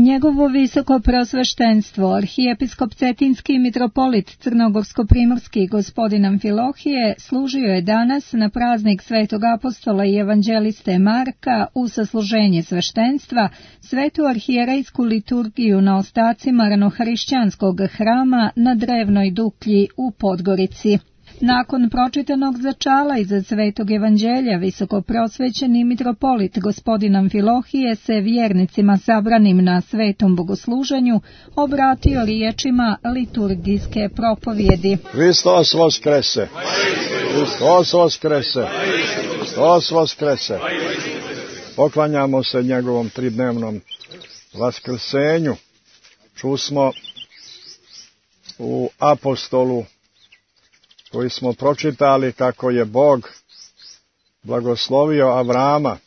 Njegovo visoko preosveštenstvo, arhijepiskop Cetinski i mitropolit Crnogorsko-primorski gospodin Amfilohije, služio je danas na praznik Svetog apostola i evanđeliste Marka u sasluženje sveštenstva, svetu arhijerejsku liturgiju na ostacima ranohrišćanskog hrama na Drevnoj Duklji u Podgorici. Nakon pročitanog začala iza Svetog evanđelja, visoko prosvećeni mitropolit gospodin Amfilohije se vjernicima sabranim na svetom bogosluženju obratio riječima liturgijske propovjedi. Hristos voskrese! Hristos voskrese! Hristos voskrese! Poklanjamo se njegovom tridnevnom vaskrsenju. Čusmo u apostolu koji smo pročitali kako je Bog blagoslovio Avrama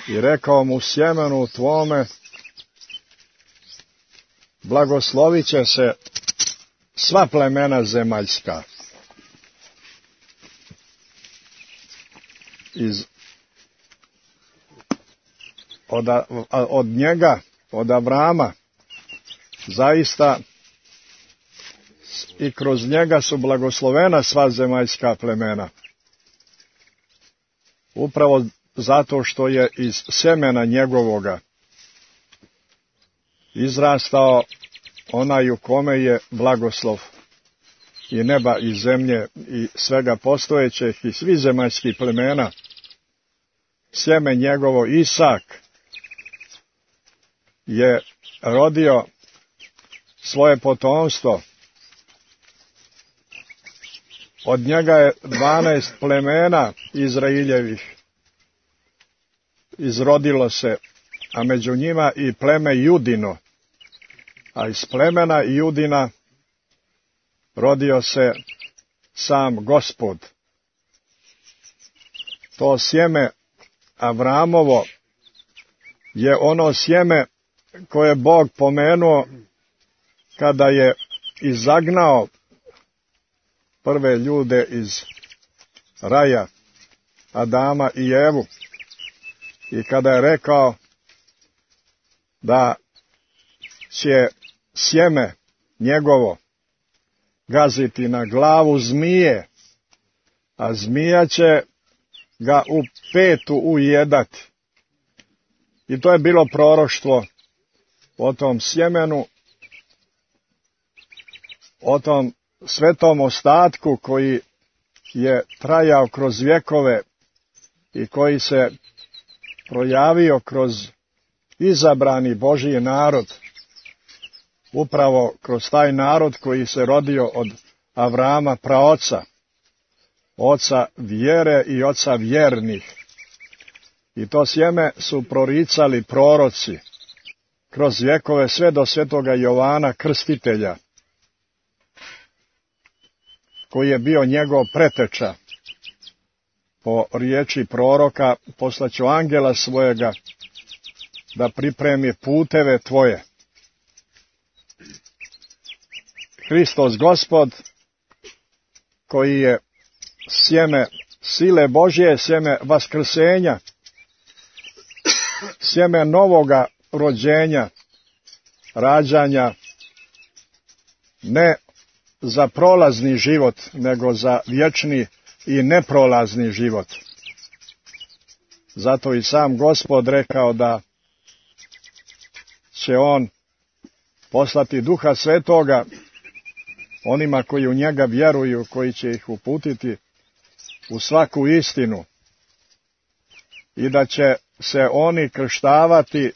i rekao mu: sjemenu tvome blagoslovit će se sva plemena zemaljska. Od njega, od Avrama, zaista i kroz njega su blagoslovena sva zemaljska plemena. Upravo zato što je iz semena njegovoga izrastao onaj u kome je blagoslov i neba i zemlje i svega postojećeg i svih zemaljskih plemena. Sjeme njegovo Isak je rodio svoje potomstvo. Od njega je 12 plemena Izraeljevih izrodilo se, a među njima i pleme Judino. A iz plemena Judina rodio se sam Gospod. To sjeme Avramovo je ono sjeme koje je Bog pomenuo kada je izagnao prve ljude iz raja, Adama i Evu, i kada je rekao da će sjeme njegovo gaziti na glavu zmije, a zmija će ga u petu ujedati. I to je bilo proroštvo o tom sjemenu, o tom svetom ostatku koji je trajao kroz vjekove i koji se projavio kroz izabrani Božji narod, upravo kroz taj narod koji se rodio od Avrama praoca, oca vjere i oca vjernih. I to sjeme su proricali proroci kroz vjekove sve do svetoga Jovana Krstitelja, koji je bio njegov preteča. Po riječi proroka: poslaću angela svojega da pripremi puteve tvoje. Hristos Gospod, koji je sjeme sile Božje, sjeme vaskrsenja, sjeme novoga rođenja, rađanja, ne za prolazni život, nego za vječni i neprolazni život. Zato i sam Gospod rekao da će on poslati Duha Svetoga onima koji u njega vjeruju, koji će ih uputiti u svaku istinu, i da će se oni krštavati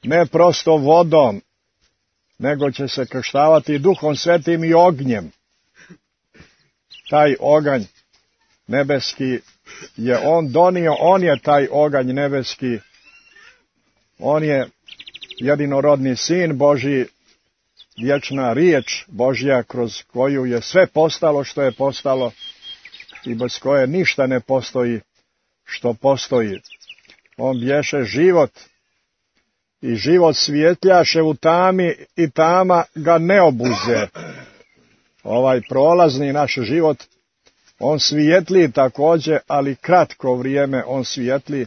ne prosto vodom, nego će se krštavati Duhom Svetim i ognjem. Taj oganj nebeski je on donio, on je taj oganj nebeski, on je jedinorodni Sin Božji, vječna riječ Božja, kroz koju je sve postalo što je postalo i bez koje ništa ne postoji što postoji. On bješe život i život svjetljaše u tami i tama ga ne obuze. Ovaj prolazni naš život, on svijetli također, ali kratko vrijeme on svijetli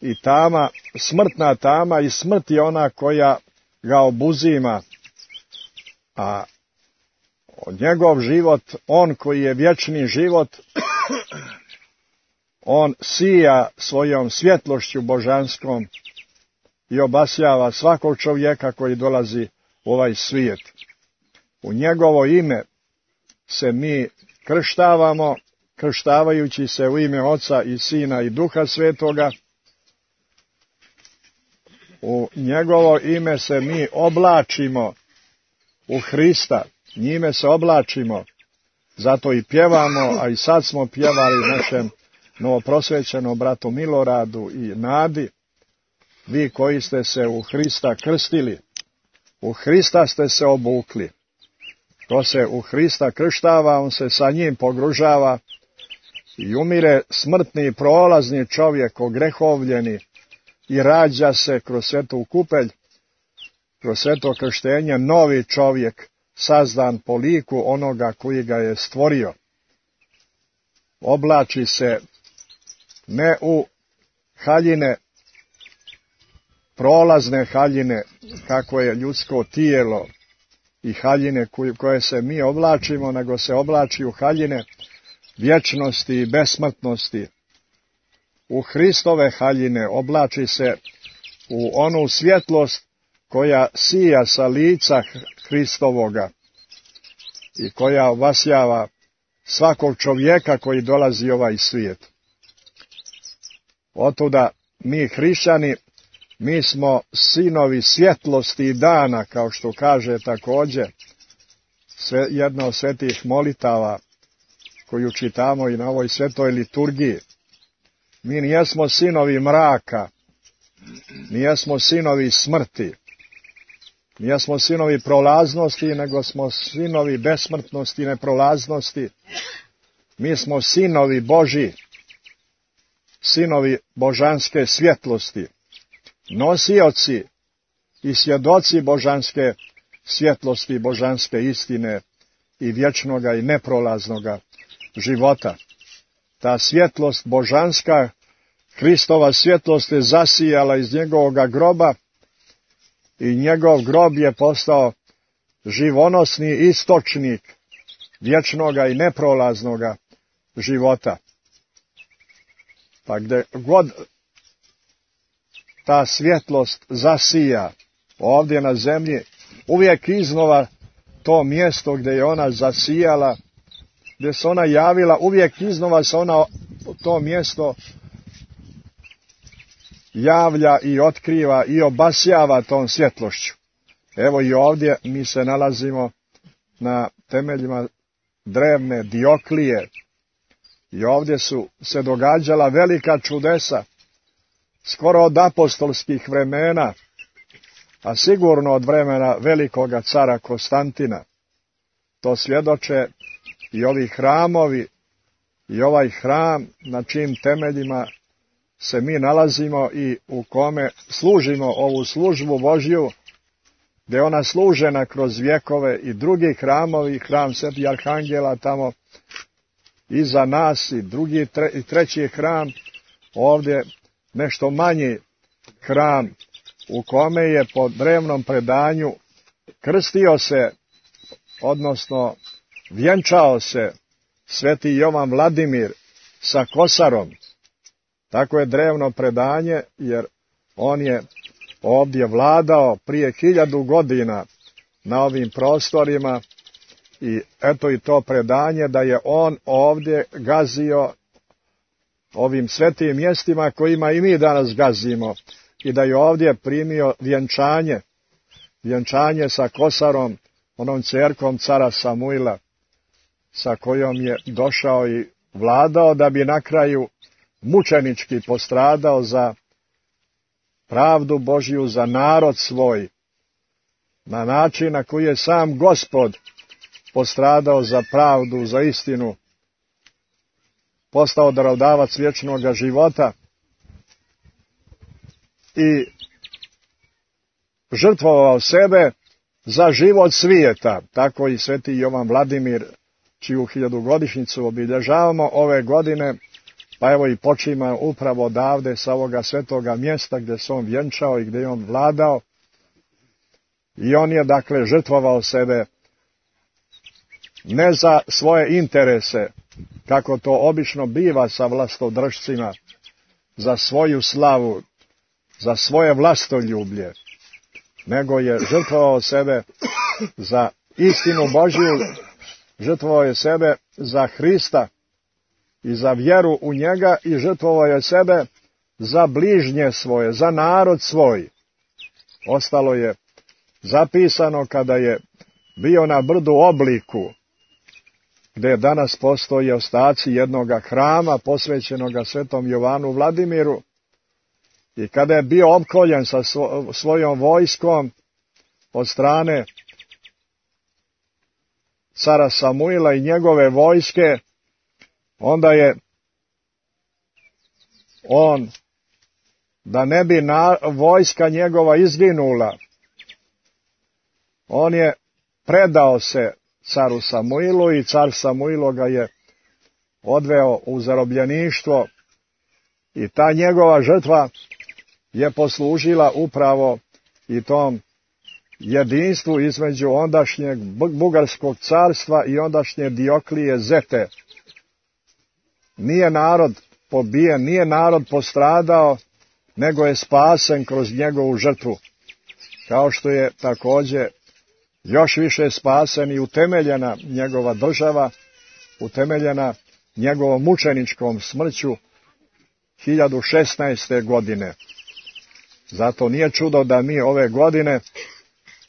i tama, smrtna tama i smrt je ona koja ga obuzima, a njegov život, on koji je vječni život, on sija svojom svjetlošću božanskom i obasjava svakog čovjeka koji dolazi u ovaj svijet. U njegovo ime se mi krštavamo, krštavajući se u ime Oca i Sina i Duha Svetoga. U njegovo ime se mi oblačimo u Hrista, njime se oblačimo, zato i pjevamo, a i sad smo pjevali našem novoprosvećenom bratu Miloradu i Nadi. Vi koji ste se u Hrista krstili, u Hrista ste se obukli. Ko se u Hrista krštava, on se sa njim pogružava i umire smrtni prolazni čovjek, ogrehovljeni, i rađa se kroz svetu kupelj, kroz sveto krštenje, novi čovjek, sazdan po liku onoga koji ga je stvorio. Oblači se ne u haljine, prolazne haljine, kako je ljudsko tijelo, i haljine koje se mi oblačimo, nego se oblači u haljine vječnosti i besmrtnosti. U Hristove haljine oblači se u onu svjetlost koja sija sa lica Hristovoga i koja obasjava svakog čovjeka koji dolazi u ovaj svijet. Otuda mi hrišćani, mi smo sinovi svjetlosti i dana, kao što kaže također jedna od svetih molitava koju čitamo i na ovoj svetoj liturgiji. Mi nijesmo sinovi mraka, nijesmo sinovi smrti, nijesmo sinovi prolaznosti, nego smo sinovi besmrtnosti i neprolaznosti. Mi smo sinovi Božji, sinovi božanske svjetlosti, nosioci i svjedoci božanske svjetlosti, božanske istine i vječnoga i neprolaznoga života. Ta svjetlost božanska, Hristova svjetlost je zasijala iz njegovoga groba i njegov grob je postao živonosni istočnik vječnoga i neprolaznoga života. Pa gdje god ta svjetlost zasija ovdje na zemlji, uvijek iznova to mjesto gdje je ona zasijala, gdje se ona javila, uvijek iznova se ona to mjesto javlja i otkriva i obasjava tom svjetlošću. Evo i ovdje mi se nalazimo na temeljima drevne Dioklije i ovdje su se događala velika čudesa, skoro od apostolskih vremena, a sigurno od vremena velikoga cara Konstantina. To svjedoče i ovi hramovi i ovaj hram na čijim temeljima se mi nalazimo i u kome služimo ovu službu Božju, gdje ona služena kroz vjekove, i drugi hramovi, hram Svetih Arhangela tamo iza nas, i drugi i treći hram, ovdje nešto manji hram u kome je po drevnom predanju krstio se, odnosno vjenčao se sveti Jovan Vladimir sa kosarom. Tako je drevno predanje, jer on je ovdje vladao prije 1000 godina na ovim prostorima, i eto i to predanje da je on ovdje gazio ovim svetim mjestima kojima i mi danas gazimo, i da je ovdje primio vjenčanje sa kosarom, onom ćerkom cara Samuila, sa kojom je došao i vladao, da bi na kraju mučenički postradao za pravdu Božju, za narod svoj, na način na koji je sam Gospod postradao za pravdu, za istinu, postao darodavac vječnoga života i žrtvovao sebe za život svijeta. Tako i sveti Jovan Vladimir, čiju 1000-godišnjicu obilježavamo ove godine, pa evo i počima upravo odavde sa ovoga svetoga mjesta gdje se on vjenčao i gdje je on vladao. I on je dakle žrtvovao sebe ne za svoje interese, kako to obično biva sa vlastodržcima, za svoju slavu, za svoje vlastoljublje, nego je žrtvovao sebe za istinu Božju, žrtvovao je sebe za Hrista i za vjeru u njega i žrtvovao je sebe za bližnje svoje, za narod svoj. Ostalo je zapisano kada je bio na brdu Obliku, gdje danas postoje ostaci jednoga hrama posvećenoga svetom Jovanu Vladimiru, i kada je bio opkoljen sa svojom vojskom od strane cara Samuila i njegove vojske, onda je on, da ne bi vojska njegova izginula, on je predao se caru Samuilu i car Samuilo ga je odveo u zarobljeništvo i ta njegova žrtva je poslužila upravo i tom jedinstvu između ondašnjeg Bugarskog carstva i ondašnje Dioklije Zete. Nije narod pobijen, nije narod postradao, nego je spasen kroz njegovu žrtvu. Kao što je također još više spasen i utemeljena njegova država, utemeljena njegovom mučeničkom smrću 1016. godine. Zato nije čudo da mi ove godine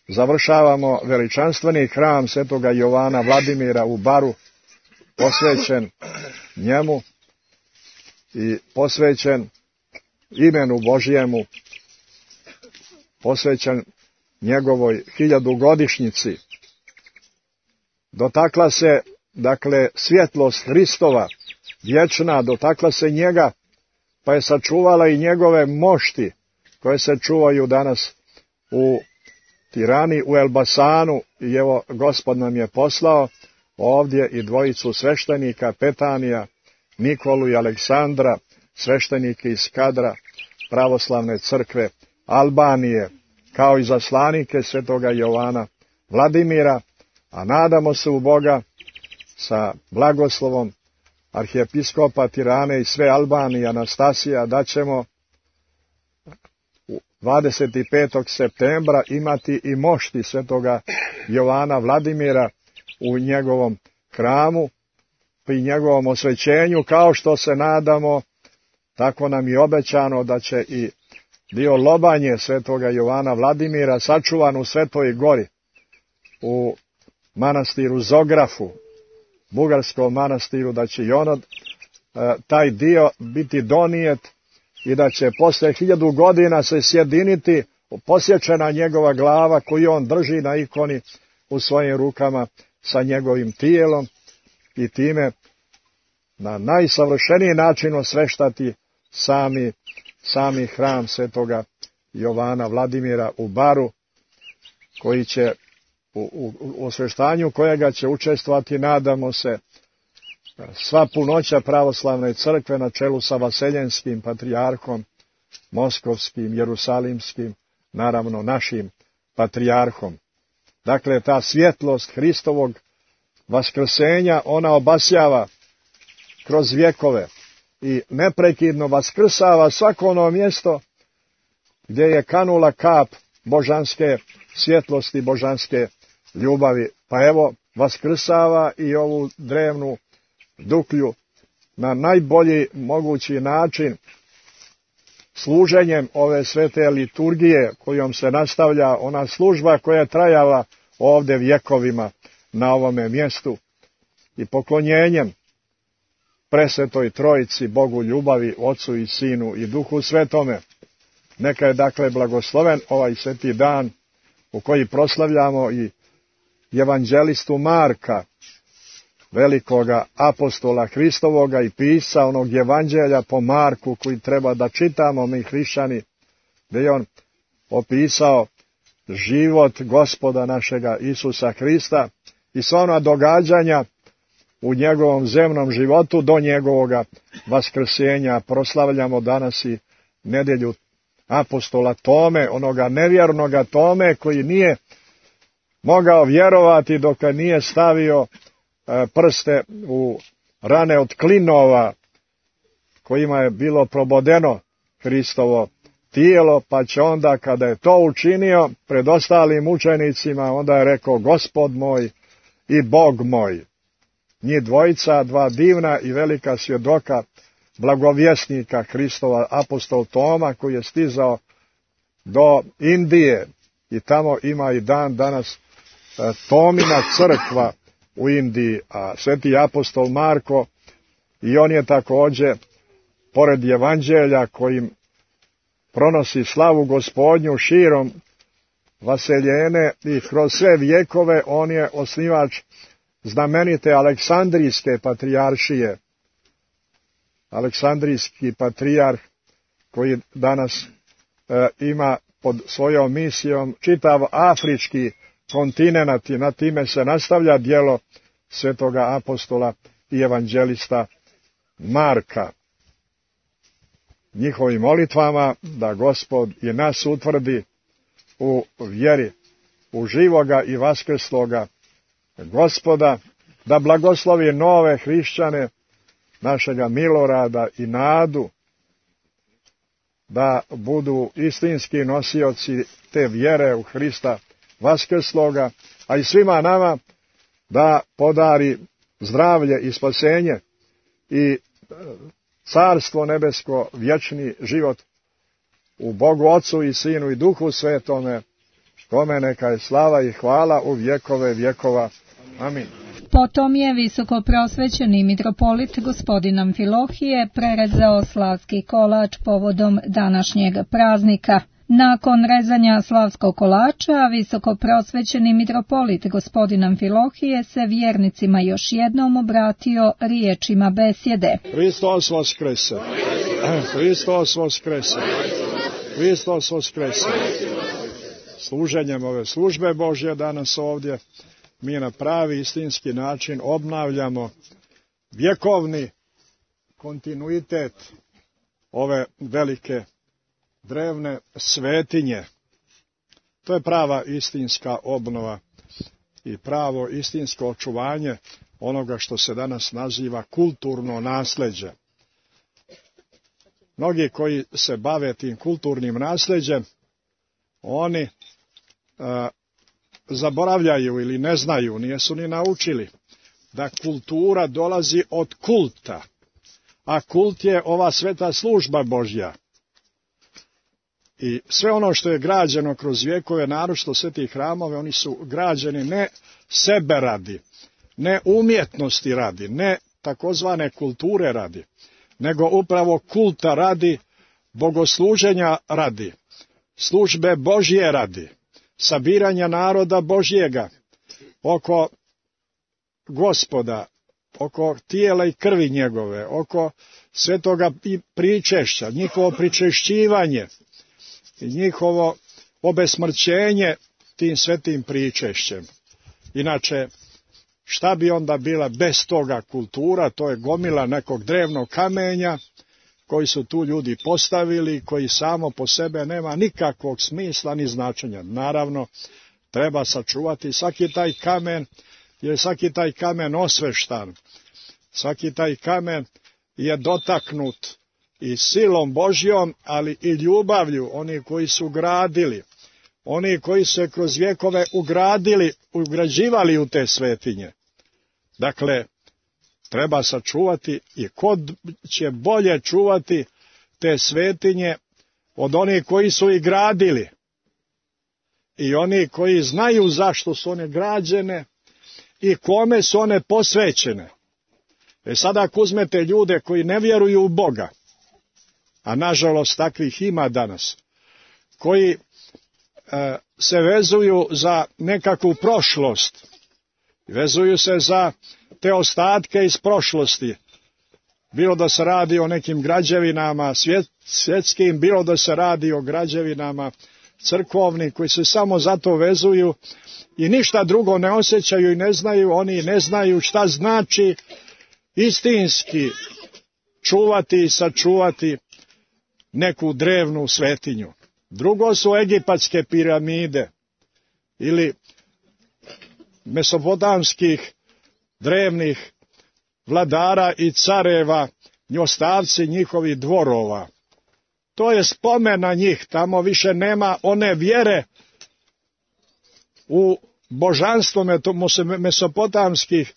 završavamo veličanstveni hram svetoga Jovana Vladimira u Baru, posvećen njemu i posvećen imenu Božjemu, posvećen njegovoj 1000-godišnjici. Dotakla se, dakle, svjetlost Hristova, vječna, dotakla se njega, pa je sačuvala i njegove mošti, koje se čuvaju danas u Tirani, u Elbasanu, i evo Gospod nam je poslao ovdje i dvojicu sveštenika, Petanija, Nikolu i Aleksandra, sveštenike iz kadra pravoslavne crkve Albanije, kao i zaslanike svetoga Jovana Vladimira, a nadamo se u Boga sa blagoslovom arhijepiskopa Tirane i sve Albanije Anastasija da ćemo 25. septembra imati i mošti svetoga Jovana Vladimira u njegovom hramu, pri njegovom osvećenju, kao što se nadamo, tako nam je obećano da će i dio lobanje svetoga Jovana Vladimira sačuvan u Svetoj Gori, u manastiru Zografu, bugarskom manastiru, da će i ono, taj dio biti donijet i da će posle 1000 godina se sjediniti posječena njegova glava koju on drži na ikoni u svojim rukama sa njegovim tijelom i time na najsavršeniji način osveštati sami hram svetoga Jovana Vladimira u Baru, koji će u osveštanju kojega će učestvovati, nadamo se, sva punoća pravoslavne crkve na čelu sa Vaseljenskim patrijarhom, Moskovskim, Jerusalimskim, naravno našim patrijarhom. Dakle, ta svjetlost Hristovog vaskrsenja, ona obasjava kroz vjekove i neprekidno vaskrsava svako ono mjesto gdje je kanula kap božanske svjetlosti, božanske ljubavi. Pa evo, vaskrsava i ovu drevnu Duklju na najbolji mogući način, služenjem ove svete liturgije kojom se nastavlja ona služba koja je trajala ovdje vjekovima na ovome mjestu, i poklonjenjem presvetoj Trojici, Bogu ljubavi, Ocu i Sinu i Duhu Svetome. Neka je dakle blagosloven ovaj sveti dan u koji proslavljamo i evanđelistu Marka, velikoga apostola Hristovoga i pisca onog evanđelja po Marku koji treba da čitamo mi hrišćani, gdje je on opisao život Gospoda našega Isusa Hrista i sva ona događanja u njegovom zemnom životu do njegovoga vaskrsenja. Proslavljamo danas i nedjelju apostola Tome, onoga nevjernoga Tome koji nije mogao vjerovati dok nije stavio prste u rane od klinova kojima je bilo probodeno Hristovo tijelo, pa će onda kada je to učinio pred ostalim učenicima, onda je rekao Gospod moj i Bog moj. Njih dvojica, dva divna i velika svjedoka blagovjesnika Hristova, apostol Toma, koji je stizao do Indije i tamo ima i dan danas Tomina crkva u Indiji, a sveti apostol Marko i on je također pored evanđelja kojim pronosi slavu Gospodnju širom vaseljene i kroz sve vjekove, on je osnivač znamenite Aleksandrijske patrijaršije. Aleksandrijski patrijarh koji danas ima pod svojom misijom čitav afrički kontinent i na time se nastavlja djelo svetoga apostola i evanđelista Marka. Njihovim molitvama da Gospod i nas utvrdi u vjeri, u živoga i vaskrsloga Gospoda, da blagoslovi nove hrišćane, našega Milorada i Nadu, da budu istinski nosioci te vjere u Hrista vaskrsloga, a i svima nama da podari zdravlje i spasenje i carstvo nebesko, vječni život u Bogu Ocu i Sinu i Duhu Svetome, kome neka je slava i hvala u vjekove vjekova. Amin. Potom je visokoprosvećeni mitropolit gospodin Amfilohije prerezao slavski kolač povodom današnjeg praznika. Nakon rezanja slavskog kolača, visokoprosvećeni mitropolit gospodin Amfilohije se vjernicima još jednom obratio riječima besjede. Hristos vaskrese! Hristos vaskrese! Hristos vaskrese! Služenjem ove službe Božje danas ovdje mi na pravi istinski način obnavljamo vjekovni kontinuitet ove velike drevne svetinje. To je prava istinska obnova i pravo istinsko očuvanje onoga što se danas naziva kulturno nasljeđe. Mnogi koji se bave tim kulturnim nasljeđem, oni zaboravljaju ili ne znaju, nisu ni naučili da kultura dolazi od kulta, a kult je ova sveta služba Božja. I sve ono što je građeno kroz vjekove, naročito sve ti hramove, oni su građeni ne sebe radi, ne umjetnosti radi, ne takozvane kulture radi, nego upravo kulta radi, bogosluženja radi, službe Božje radi, sabiranja naroda Božjega oko Gospoda, oko tijela i krvi njegove, oko svetoga pričešća, njihovo pričešćivanje i njihovo obesmrćenje tim svetim pričešćem. Inače, šta bi onda bila bez toga kultura? To je gomila nekog drevnog kamenja koji su tu ljudi postavili, koji samo po sebe nema nikakvog smisla ni značenja. Naravno, treba sačuvati svaki taj kamen, jer svaki taj kamen osveštan, svaki taj kamen je dotaknut i silom Božjom, ali i ljubavlju oni koji su gradili, oni koji su se kroz vjekove ugrađivali u te svetinje. Dakle, treba sačuvati i ko će bolje čuvati te svetinje od onih koji su ih gradili i oni koji znaju zašto su one građene i kome su one posvećene. Sada ako uzmete ljude koji ne vjeruju u Boga, a nažalost takvih ima danas, koji se vezuju za nekakvu prošlost, vezuju se za te ostatke iz prošlosti, bilo da se radi o nekim građevinama svjetskim, bilo da se radi o građevinama crkovni, koji se samo zato vezuju i ništa drugo ne osjećaju i ne znaju. Oni ne znaju šta znači istinski čuvati i sačuvati neku drevnu svetinju. Drugo su egipatske piramide ili mesopotamskih drevnih vladara i careva, ostavci njihovih dvorova. To je spomen na njih, tamo više nema one vjere u božanstvo mesopotamskih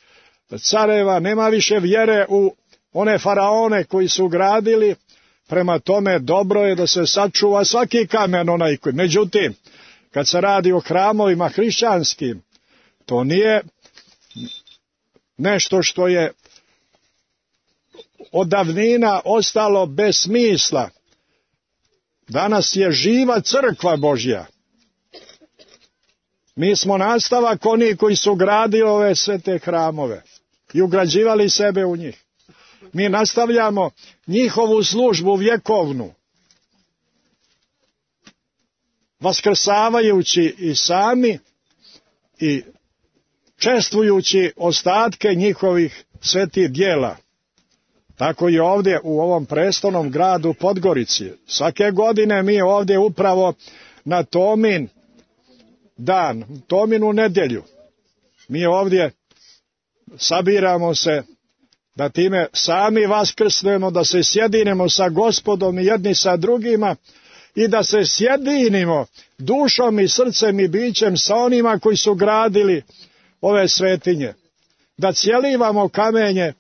careva, nema više vjere u one faraone koji su gradili. Prema tome dobro je da se sačuva svaki kamen onaj koji. Međutim, kad se radi o hramovima hrišćanskim, to nije nešto što je od davnina ostalo bez smisla. Danas je živa crkva Božja. Mi smo nastavak oni koji su gradili ove sve te hramove i ugrađivali sebe u njih. Mi nastavljamo njihovu službu vjekovnu, vaskrsavajući i sami i čestvujući ostatke njihovih svetih djela. Tako i ovdje u ovom prestolnom gradu Podgorici. Svake godine mi ovdje upravo na Tomin dan, Tominu nedjelju, mi ovdje sabiramo se da time sami vaskrsnemo, da se sjedinemo sa Gospodom i jedni sa drugima i da se sjedinimo dušom i srcem i bićem sa onima koji su gradili ove svetinje. Da cijelivamo kamenje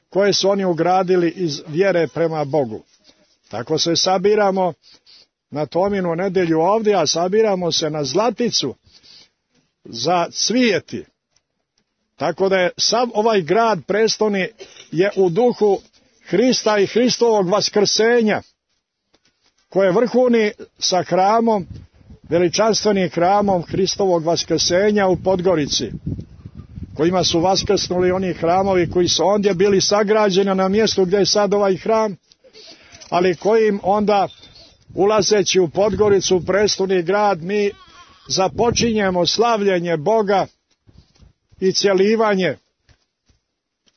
koje su oni ugradili iz vjere prema Bogu. Tako se sabiramo na Tominu nedjelju ovdje, a sabiramo se na Zlaticu za cvijeti. Tako da je sav ovaj grad prestolni je u duhu Hrista i Hristovog vaskrsenja, koje vrhuni sa hramom, veličanstvenim hramom Hristovog vaskrsenja u Podgorici, kojima su vaskrsnuli oni hramovi koji su ondje bili sagrađeni na mjestu gdje je sad ovaj hram, ali kojim onda, ulazeći u Podgoricu, prestolni grad, mi započinjemo slavljenje Boga i cjelivanje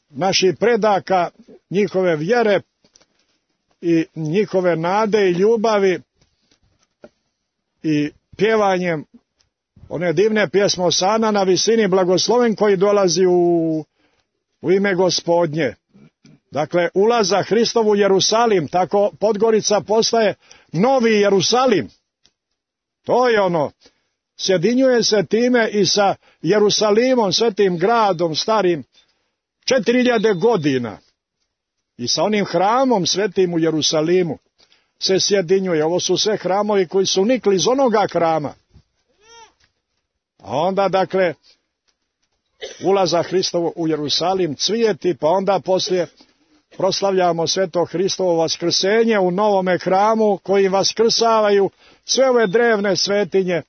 naših predaka, njihove vjere i njihove nade i ljubavi i pjevanjem one divne pjesme Osana na visini, blagosloven koji dolazi u ime Gospodnje. Dakle, ulaza Hristov u Jerusalim, tako Podgorica postaje novi Jerusalim. To je ono, sjedinjuje se time i sa Jerusalimom, svetim gradom, starim 4000 godina. I sa onim hramom svetim u Jerusalimu se sjedinjuje. Ovo su sve hramovi koji su nikli iz onoga hrama. A onda, dakle, ulaza Hristovo u Jerusalim, cvijeti, pa onda poslije proslavljamo sveto Hristovo vaskrsenje u novome hramu, koji vaskrsavaju sve ove drevne svetinje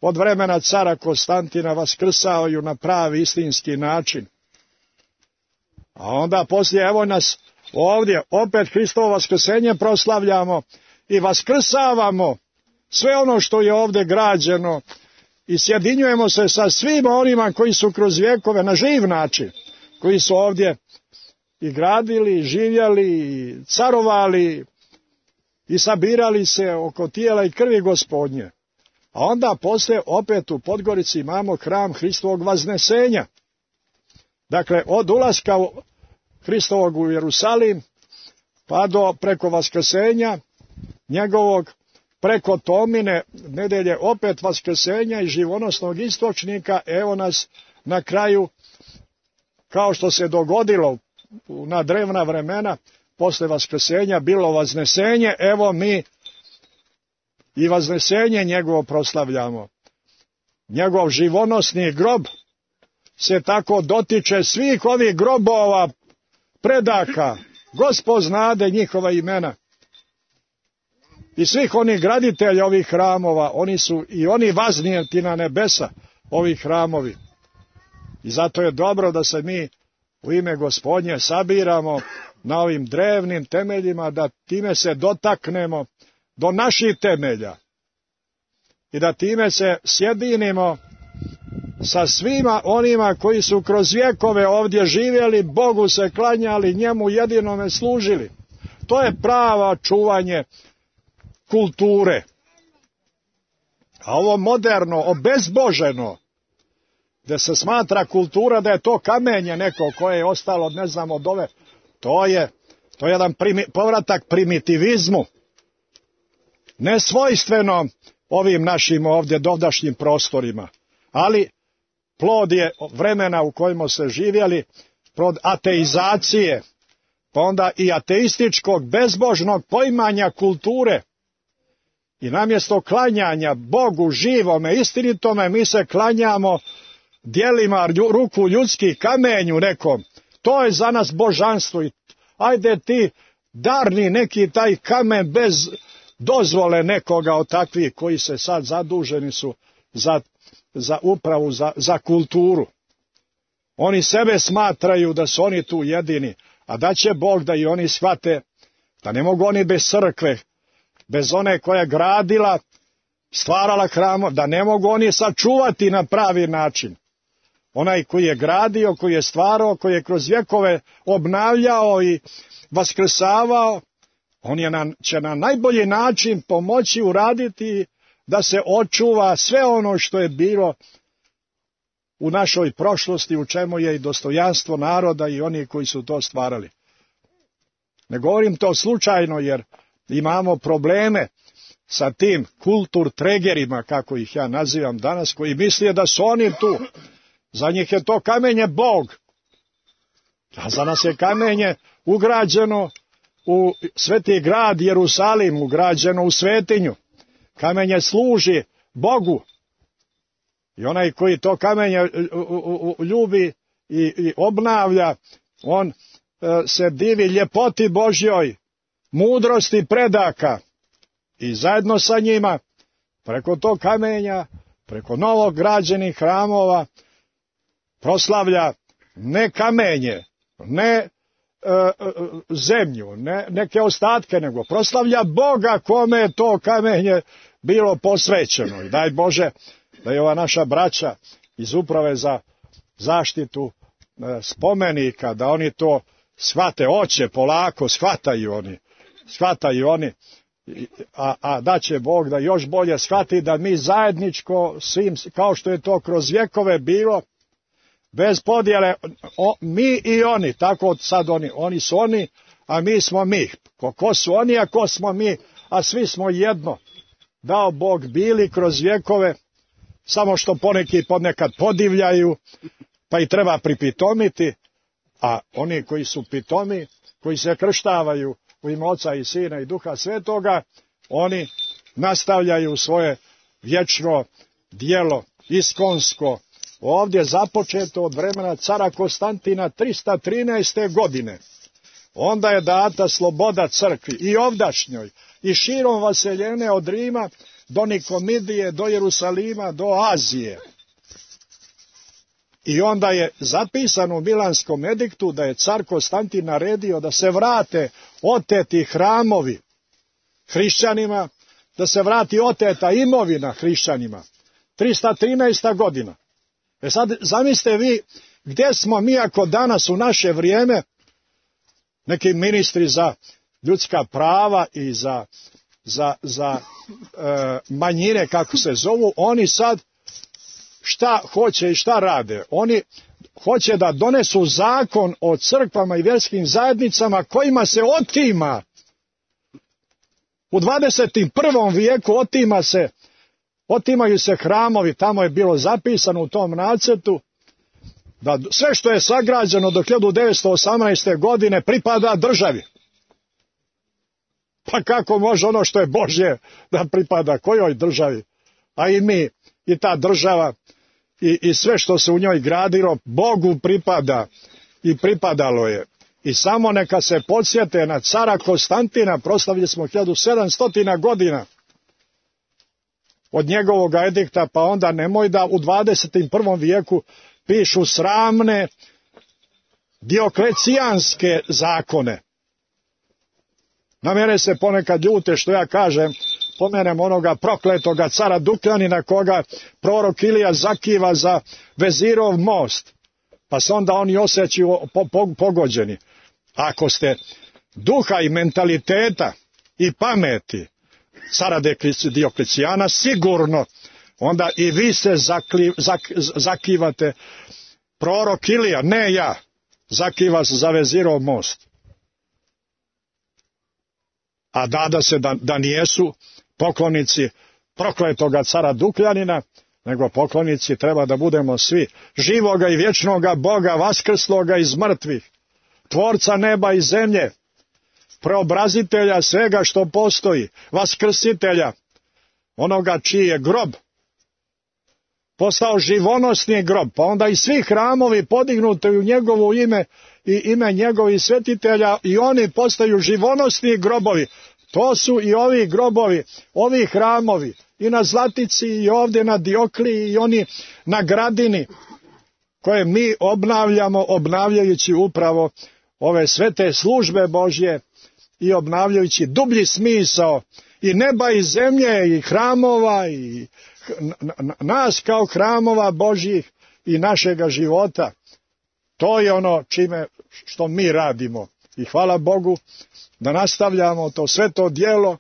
od vremena cara Konstantina, vaskrsavaju na pravi istinski način. A onda poslije, evo nas ovdje, opet Hristovo vaskrsenje proslavljamo i vaskrsavamo sve ono što je ovdje građeno i sjedinjujemo se sa svima onima koji su kroz vjekove na živ način, koji su ovdje i gradili, i živjeli, i carovali i sabirali se oko tijela i krvi Gospodnje. A onda poslije opet u Podgorici imamo hram Hristovog vaznesenja. Dakle, od ulaska Hristovog u Jerusalim, pa do preko vaskrsenja njegovog, preko Tomine nedjelje opet vaskrsenja i živonosnog istočnika, evo nas na kraju, kao što se dogodilo na drevna vremena, posle vaskrsenja bilo vaznesenje, evo mi i vaznesenje njegovo proslavljamo. Njegov živonosni grob se tako dotiče svih ovih grobova predaka, Gospod znade njihova imena. I svih onih graditelja ovih hramova, oni su i oni vaznijeti na nebesa, ovih hramovi. I zato je dobro da se mi u ime Gospodnje sabiramo na ovim drevnim temeljima, da time se dotaknemo do naših temelja. i da time se sjedinimo sa svima onima koji su kroz vjekove ovdje živjeli, Bogu se klanjali, njemu jedinome služili. To je pravo čuvanje kulture. A ovo moderno, obezboženo, gdje se smatra kultura da je to kamenje neko koje je ostalo, ne znam, od ove, to je jedan povratak primitivizmu, nesvojstveno ovim našim ovdje dovdašnjim prostorima, ali plod je vremena u kojima se živjeli, plod ateizacije, pa onda i ateističkog, bezbožnog poimanja kulture. I namjesto klanjanja Bogu živome, istinitome, mi se klanjamo djelima ruku ljudskih, kamenju nekom. To je za nas božanstvo. I ajde ti darni neki taj kamen bez dozvole nekoga od takvih koji se sad zaduženi su za upravu, za kulturu. Oni sebe smatraju da su oni tu jedini, a da će Bog da i oni shvate da ne mogu oni bez crkve, bez one koja je gradila, stvarala hramo, da ne mogu oni sačuvati na pravi način. Onaj koji je gradio, koji je stvarao, koji je kroz vjekove obnavljao i vaskrsavao, on će na najbolji način pomoći uraditi da se očuva sve ono što je bilo u našoj prošlosti, u čemu je i dostojanstvo naroda i oni koji su to stvarali. Ne govorim to slučajno, jer imamo probleme sa tim kulturtregerima, kako ih ja nazivam danas, koji misle da su oni tu. Za njih je to kamenje Bog. A za nas je kamenje ugrađeno u sveti grad Jerusalim, ugrađeno u svetinju. Kamenje služi Bogu. I onaj koji to kamenje ljubi i obnavlja, on se divi ljepoti Božjoj, mudrosti predaka. I zajedno sa njima, preko tog kamenja, preko novog građenih hramova, proslavlja ne kamenje, ne zemlju, ne neke ostatke, nego proslavlja Boga kome je to kamenje bilo posvećeno. I daj Bože da je ova naša braća iz uprave za zaštitu spomenika, da oni to shvate, oće polako, shvataju oni, a da će Bog da još bolje shvati da mi zajedničko svim, kao što je to kroz vjekove bilo, bez podjele, mi i oni, tako sad oni su oni, a mi smo mi. Ko su oni, a ko smo mi, a svi smo jedno. Dao Bog bili kroz vjekove, samo što poneki ponekad podivljaju, pa i treba pripitomiti, a oni koji su pitomi, koji se krštavaju u ime Oca i Sina i Duha Svetoga, oni nastavljaju svoje vječno djelo, iskonsko, ovdje započeto od vremena cara Konstantina 313. godine. Onda je data sloboda crkvi i ovdašnjoj i širom vaseljene od Rima do Nikomidije, do Jerusalima, do Azije. I onda je zapisano u Milanskom ediktu da je car Konstantin naredio da se vrate oteti hramovi hrišćanima, da se vrati oteta imovina hrišćanima. 313. godina. Sad zamislite vi gdje smo mi ako danas u naše vrijeme neki ministri za ljudska prava i za manjine, kako se zovu, oni sad šta hoće i šta rade? Oni hoće da donesu zakon o crkvama i vjerskim zajednicama kojima se otima. U 21. vijeku otimaju se hramovi, tamo je bilo zapisano u tom nacrtu da sve što je sagrađeno do 1918. godine pripada državi. Pa kako može ono što je Božje da pripada kojoj državi? A i mi, i ta država, i sve što se u njoj gradilo, Bogu pripada i pripadalo je. I samo neka se podsjete na cara Konstantina, proslavili smo 1700 godina od njegovog edikta, pa onda nemoj da u 21. vijeku pišu sramne dioklecijanske zakone. Na mene se ponekad ljute što ja kažem pomenemo onoga prokletoga cara Dukljanina koga prorok Ilija zakiva za Vezirov most, pa se onda oni osjećaju pogođeni. Ako ste duha i mentaliteta i pameti cara Dioklecijana, sigurno onda i vi se zakivate. Prorok Ilija, ne ja, zakiva se za Vezirov most. A da se da nijesu poklonici prokletoga cara Dukljanina, nego poklonici treba da budemo svi živoga i vječnoga Boga, vaskrsloga iz mrtvih, tvorca neba i zemlje, preobrazitelja svega što postoji, vaskrsitelja, onoga čiji je grob postao živonosni grob, pa onda i svi hramovi podignuti u njegovo ime i ime njegovih svetitelja, i oni postaju živonosni grobovi. To su i ovi grobovi, ovi hramovi, i na Zlatici i ovdje na Diokliji i oni na Gradini, koje mi obnavljamo, obnavljajući upravo ove svete službe Božje i obnavljajući dublji smisao i neba i zemlje i hramova i nas kao hramova Božjih i našega života. To je ono što mi radimo. I hvala Bogu da nastavljamo to sveto djelo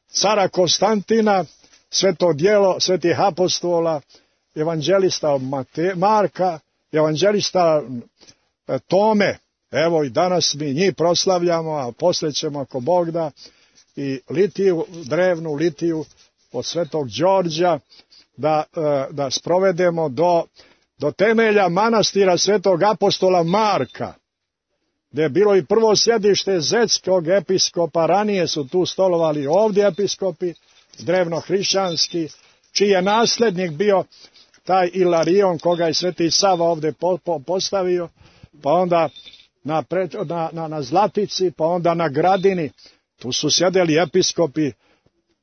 cara Konstantina, sveto djelo svetih apostola, evanđelista Marka, evanđelista Tome. Evo i danas mi njih proslavljamo, a poslije ćemo, ako Bog da, i litiju, drevnu litiju od svetog Đorđa da sprovedemo do temelja manastira svetog apostola Marka, gdje je bilo i prvo sjedište zetskog episkopa. Ranije su tu stolovali ovdje episkopi drevnohrišćanski, čiji je nasljednik bio taj Ilarion koga je sveti Sava ovdje postavio, pa onda na Zlatici, pa onda na Gradini. Tu su sjedeli episkopi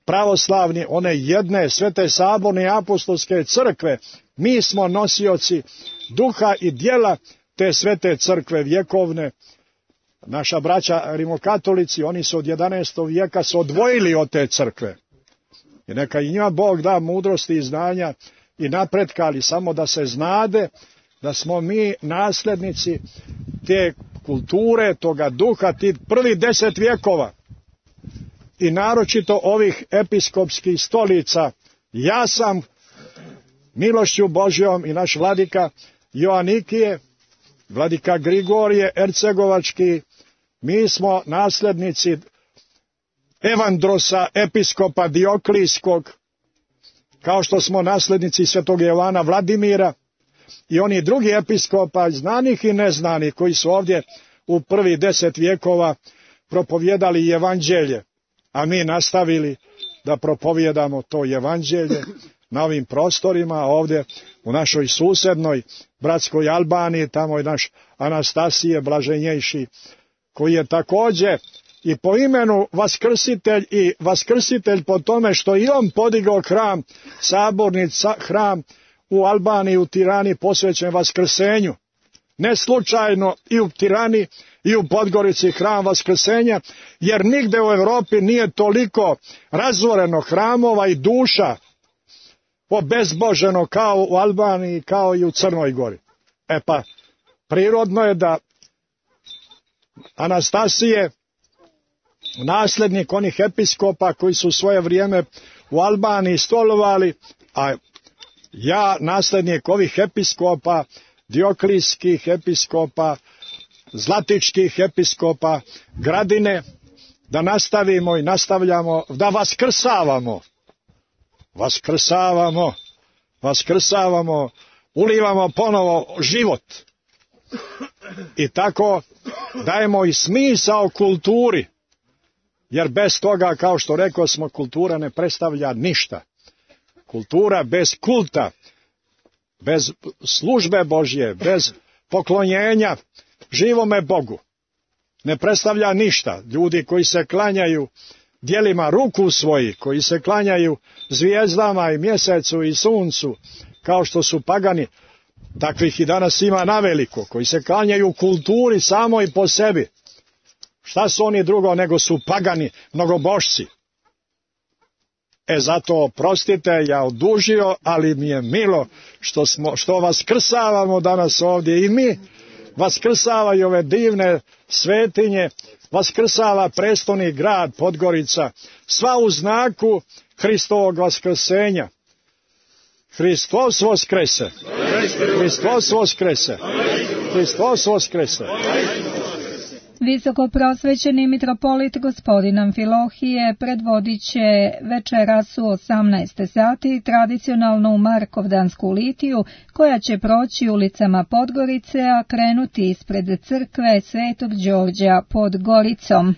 pravoslavni, one jedne svete saborne apostolske crkve. Mi smo nosioci duha i djela te svete crkve vjekovne. Naša braća rimokatolici, oni su od 11. vijeka se odvojili od te crkve. I neka i njima Bog da mudrosti i znanja i napretka, ali samo da se znade da smo mi nasljednici te kulture, toga duha, tih prvih 10 vjekova. I naročito ovih episkopskih stolica. Ja sam milošću Božjom i naš vladika Joanikije, vladika Grigorije Ercegovački, mi smo nasljednici Evandrosa, episkopa Dioklijskog, kao što smo nasljednici svetog Jovana Vladimira i oni drugi episkopa, znanih i neznanih, koji su ovdje u prvih 10 vjekova propovijedali evanđelje, a mi nastavili da propovijedamo to evanđelje na ovim prostorima, ovdje u našoj susednoj bratskoj Albaniji. Tamo je naš Anastasije blaženjejši, koji je također i po imenu vaskrsitelj, i vaskrsitelj po tome što i on podigao hram, saborni hram u Albaniji, u Tirani, posvećen vaskrsenju. Ne slučajno i u Tirani i u Podgorici hram vaskrsenja, jer nigde u Europi nije toliko razvoreno hramova i duša obezboženo kao u Albaniji, kao i u Crnoj Gori. E pa, prirodno je da Anastasije, nasljednik onih episkopa koji su svoje vrijeme u Albaniji stolovali, a ja nasljednik ovih episkopa, dioklijskih episkopa, zlatičkih episkopa Gradine, da nastavimo i nastavljamo, da vaskrsavamo, ulivamo ponovo život. I tako dajemo i smisao kulturi, jer bez toga, kao što rekao smo, kultura ne predstavlja ništa. Kultura bez kulta, bez službe Božje, bez poklonjenja živome Bogu ne predstavlja ništa. Ljudi koji se klanjaju djelima ruku svojih, koji se klanjaju zvijezdama i mjesecu i suncu, kao što su pagani, takvih i danas ima naveliko, koji se klanjaju kulturi samo i po sebi. Šta su oni drugo nego su pagani, mnogobošci? Zato oprostite, ja odužio, ali mi je milo što vas krsavamo danas ovdje i mi vaskrsavaju ove divne svetinje, vaskrsava prestolni grad Podgorica, sva u znaku Hristovog vaskrsenja. Hristos vaskrese! Hristos vaskrese! Hristos vaskrese! Visokoprosvećeni mitropolit gospodin Amfilohije predvodit će večeras u 18 sati tradicionalno u Markovdansku litiju, koja će proći ulicama Podgorice, a krenuti ispred crkve Svetog Đorđa pod Goricom.